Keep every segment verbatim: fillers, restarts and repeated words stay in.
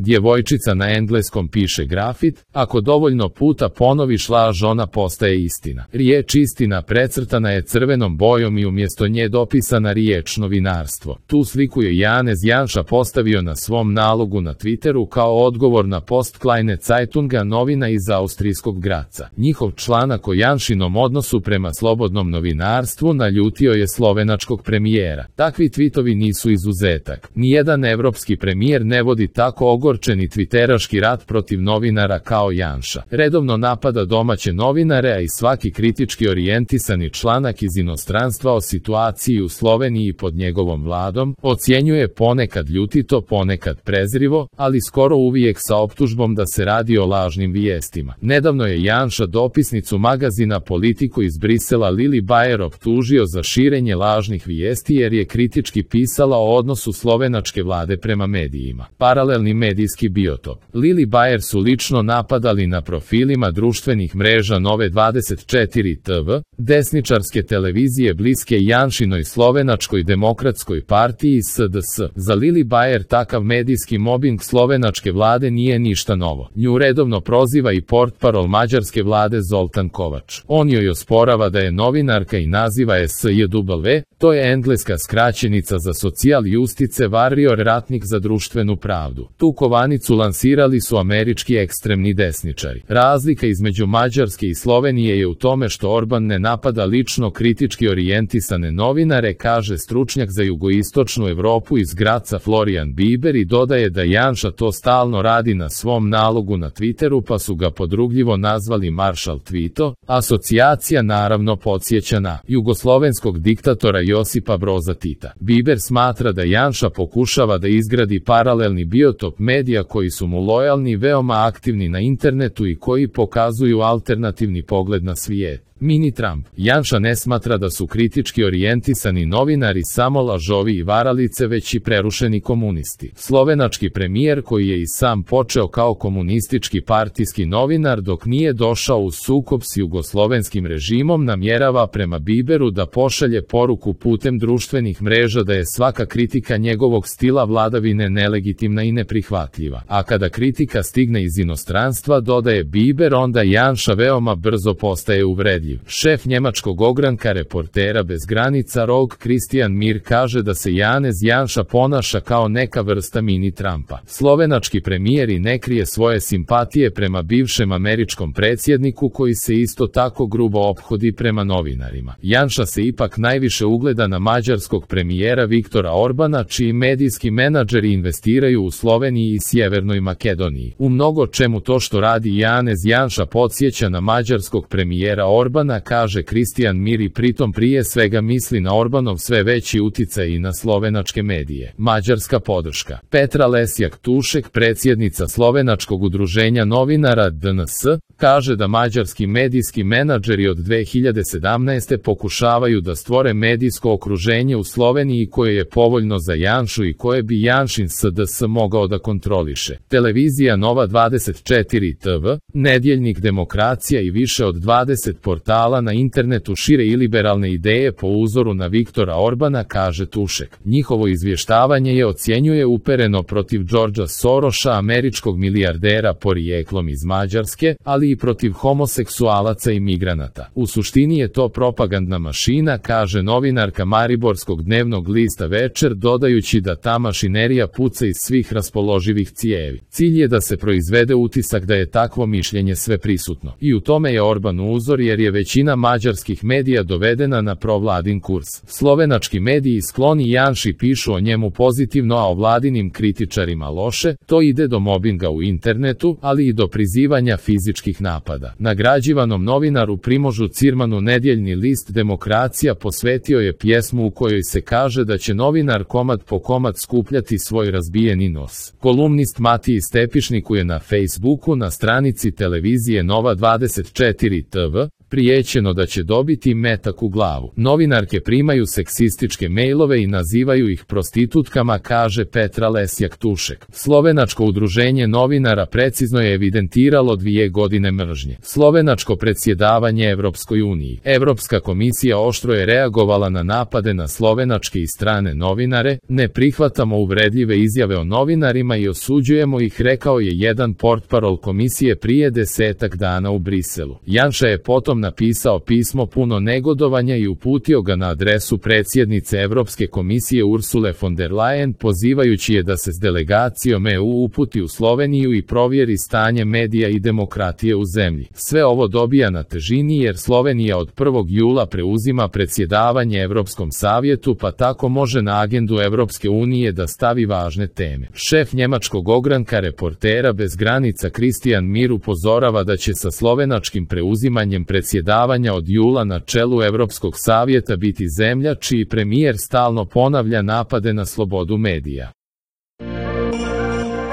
Djevojčica na engleskom piše grafit, ako dovoljno puta ponoviš laž ona postaje istina. Riječ istina precrtana je crvenom bojom i umjesto nje dopisana riječ novinarstvo. Tu sliku je Janez Janša postavio na svom nalogu na Twitteru kao odgovor na post Kleine Zeitunga, novina iz austrijskog Graca. Njihov članak o Janšinom odnosu prema slobodnom novinarstvu naljutio je slovenačkog premijera. Takvi tvitovi nisu izuzetak. Nijedan evropski premijer ne vodi tako ogorčeni tviteraški rat protiv novinara kao Janša. Redovno napada domaće novinare, a i svaki kritički orijentisani članak iz inostranstva o situaciji u Sloveniji pod njegovom vladom ocjenjuje ponekad ljutito, ponekad prezrivo, ali skoro uvijek sa optužbom da se radi o lažnim vijestima. Nedavno je Janša dopisnicu magazina Politiku iz Brisela Lili Bayer optužio za širenje lažnih vijesti jer je kritički pisala o odnosu slovenačke vlade prema medijima. Paralelni medijski biotop. Lili Bayer su lično napadali na profilima društvenih mreža Nove dvadeset četiri T V, desničarske televizije bliske Janšinoj slovenačkoj demokratskoj partiji S D S. Za Lili Bayer takav medijski mobing slovenačke vlade nije ništa novo. Nju redovno proziva i portparol mađarske vlade Zoltan Kovač. On joj osporava da je novinarka i naziva je S J W, to je engleska skraćenica za Social Justice Warrior, ratnik za društvenu pravdu. Tu kovanicu lansirali su američki ekstremni desničari. Razlika između Mađarske i Slovenije je u tome što Orban ne napada lično kritički orijentisane novinare, kaže stručnjak za jugoistočnu Evropu iz Graca Florian Biber i dodaje da Janša to stalno radi na svom nalogu na Twitteru, pa su ga podrugljivo nazvali Maršal Tvito. Asocijacija naravno podsjeća na jugoslovenskog diktatora Josipa Broza Tita. Biber smatra da Janša pokušava da izgradi paralelni biotop medija koji su mu lojalni, veoma aktivni na internetu i koji pokazuju alternativni pogled na svijet. Mini Trump. Janša ne smatra da su kritički orijentisani novinari samo lažovi i varalice, već i prerušeni komunisti. Slovenački premijer, koji je i sam počeo kao komunistički partijski novinar dok nije došao u sukob s jugoslovenskim režimom, namjerava prema Biberu da pošalje poruku putem društvenih mreža da je svaka kritika njegovog stila vladavine nelegitimna i neprihvatljiva. A kada kritika stigne iz inostranstva, dodaje Biber, onda Janša veoma brzo postaje uvredljiv. Šef njemačkog ogranka Reportera bez granica Rog Christian Mir kaže da se Janez Janša ponaša kao neka vrsta mini Trumpa. Slovenački premijer i ne krije svoje simpatije prema bivšem američkom predsjedniku koji se isto tako grubo ophodi prema novinarima. Janša se ipak najviše ugleda na mađarskog premijera Viktora Orbana, čiji medijski menadžeri investiraju u Sloveniji i Sjevernoj Makedoniji. U mnogo čemu to što radi Janez Janša podsjeća na mađarskog premijera Orbana, kaže Christian Mir, i pritom prije svega misli na Orbanov sve veći uticaj i na slovenačke medije. Mađarska podrška. Petra Lesjak-Tušek, predsjednica slovenačkog udruženja novinara D N S, kaže da mađarski medijski menadžeri od dve hiljade sedamnaeste. pokušavaju da stvore medijsko okruženje u Sloveniji koje je povoljno za Janšu i koje bi Janšin S D S mogao da kontroliše. Televizija Nova dvadeset četiri T V, nedjeljnik Demokracija i više od dvadeset portala na internetu šire i liberalne ideje po uzoru na Viktora Orbana, kaže Tušek. Njihovo izvještavanje je ocjenjuje upereno protiv Georgea Soroša, američkog milijardera porijeklom iz Mađarske, ali i protiv homoseksualaca i migranata. U suštini je to propagandna mašina, kaže novinarka mariborskog dnevnog lista Večer, dodajući da ta mašinerija puca iz svih raspoloživih cijevi. Cilj je da se proizvede utisak da je takvo mišljenje sve prisutno. I u tome je Orban uzor, jer je većina mađarskih medija dovedena na provladin kurs. Slovenački mediji skloni Janši pišu o njemu pozitivno, a o vladinim kritičarima loše. To ide do mobinga u internetu, ali i do prizivanja fizičkih napada. Nagrađivanom novinaru Primožu Cirmanu nedjeljni list Demokracija posvetio je pjesmu u kojoj se kaže da će novinar komad po komad skupljati svoj razbijeni nos. Kolumnist Matiji Stepišniku je na Facebooku na stranici televizije Nova dvadeset četiri T V prijećeno da će dobiti metak u glavu. Novinarke primaju seksističke mejlove i nazivaju ih prostitutkama, kaže Petra Lesjak-Tušek. Slovenačko udruženje novinara precizno je evidentiralo dvije godine mržnje. Slovenačko predsjedavanje Evropskoj uniji. Evropska komisija oštro je reagovala na napade na slovenačke i strane novinare. Ne prihvatamo uvredljive izjave o novinarima i osuđujemo ih, rekao je jedan portparol komisije prije desetak dana u Briselu. Janša je potom napisao pismo puno negodovanja i uputio ga na adresu predsjednice Evropske komisije Ursule von der Leyen, pozivajući je da se s delegacijom E U uputi u Sloveniju i provjeri stanje medija i demokratije u zemlji. Sve ovo dobija na težini jer Slovenija od prvog jula preuzima predsjedavanje Evropskom savjetu, pa tako može na agendu Evropske unije da stavi važne teme. Šef njemačkog ogranka Reportera bez granica Kristijan Mir upozorava da će sa slovenačkim preuzimanjem predsjedavanja od jula na čelu Evropskog savjeta biti zemlja čiji premijer stalno ponavlja napade na slobodu medija.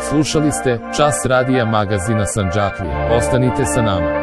Slušali ste Čas radija magazina Sandžaklije. Ostanite sa nama.